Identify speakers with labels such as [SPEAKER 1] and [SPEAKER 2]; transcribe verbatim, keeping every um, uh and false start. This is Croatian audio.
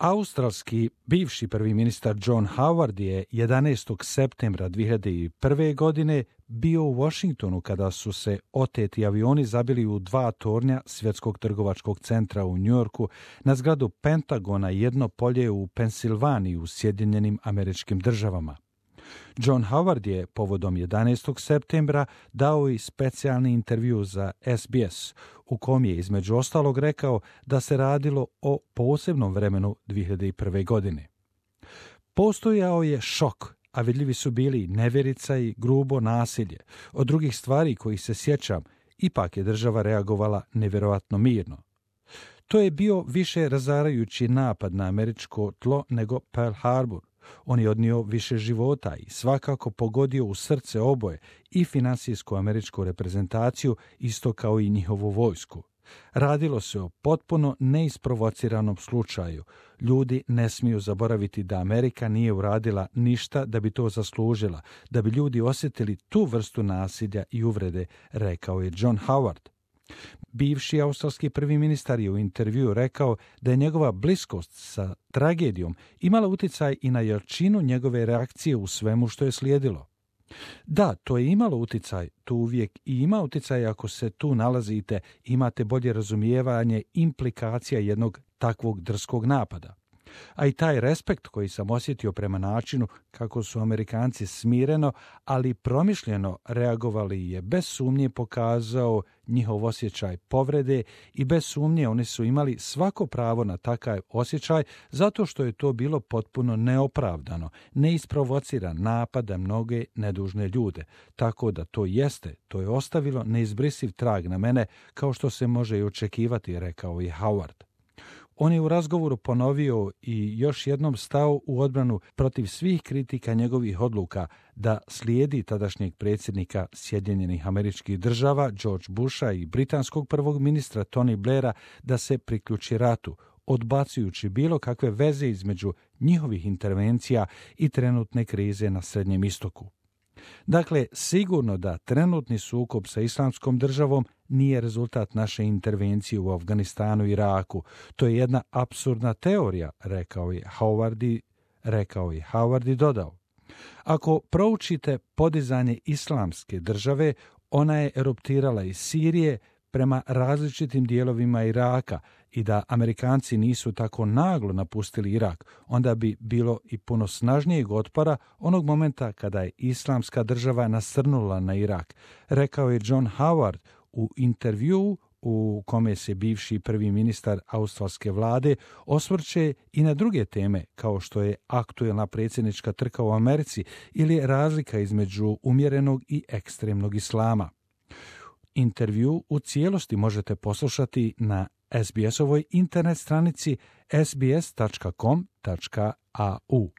[SPEAKER 1] Australski bivši prvi ministar John Howard je jedanaestog septembra dvije hiljade prve. godine bio u Washingtonu kada su se oteti avioni zabili u dva tornja Svjetskog trgovačkog centra u Njujorku, na zgradu Pentagona i jedno polje u Pensilvaniji u Sjedinjenim Američkim Državama. John Howard je povodom jedanaestog septembra dao i specijalni intervju za S B S, u kom je između ostalog rekao da se radilo o posebnom vremenu dvije hiljade prve. godine. Postojao je šok, a vidljivi su bili nevjerica i grubo nasilje. Od drugih stvari kojih se sjećam, ipak je država reagovala nevjerovatno mirno. To je bio više razarajući napad na američko tlo nego Pearl Harbor. On je odnio više života i svakako pogodio u srce oboje, i finansijsku američku reprezentaciju, isto kao i njihovu vojsku. Radilo se o potpuno neisprovociranom slučaju. Ljudi ne smiju zaboraviti da Amerika nije uradila ništa da bi to zaslužila, da bi ljudi osjetili tu vrstu nasilja i uvrede, rekao je John Howard. Bivši australski prvi ministar je u intervjuu rekao da je njegova bliskost sa tragedijom imala utjecaj i na jačinu njegove reakcije u svemu što je slijedilo. Da, to je imalo utjecaj, to uvijek i ima utjecaj ako se tu nalazite, imate bolje razumijevanje implikacija jednog takvog drskog napada. A i taj respekt koji sam osjetio prema načinu kako su Amerikanci smireno, ali promišljeno reagovali je bez sumnje pokazao njihov osjećaj povrede, i bez sumnje oni su imali svako pravo na takav osjećaj zato što je to bilo potpuno neopravdano, neisprovociran napad na mnoge nedužne ljude. Tako da to jeste, to je ostavilo neizbrisiv trag na mene, kao što se može i očekivati, rekao je Howard. On je u razgovoru ponovio i još jednom stao u odbranu protiv svih kritika njegovih odluka da slijedi tadašnjeg predsjednika Sjedinjenih Američkih Država George Busha i britanskog prvog ministra Tony Blaira da se priključi ratu, odbacujući bilo kakve veze između njihovih intervencija i trenutne krize na Srednjem istoku. Dakle, sigurno da trenutni sukob sa Islamskom državom nije rezultat naše intervencije u Afganistanu i Iraku. To je jedna apsurdna teorija, rekao je Howard i, rekao je Howard i dodao. Ako proučite podizanje Islamske države, ona je eruptirala iz Sirije prema različitim dijelovima Iraka, i da Amerikanci nisu tako naglo napustili Irak, onda bi bilo i puno snažnijeg otpora onog momenta kada je Islamska država nasrnula na Irak, rekao je John Howard u intervjuu u kome se bivši prvi ministar australske vlade osvrće i na druge teme, kao što je aktuelna predsjednička trka u Americi ili razlika između umjerenog i ekstremnog islama. Intervju u cijelosti možete poslušati na S B S-ovoj internet stranici s b s tačka com tačka a u.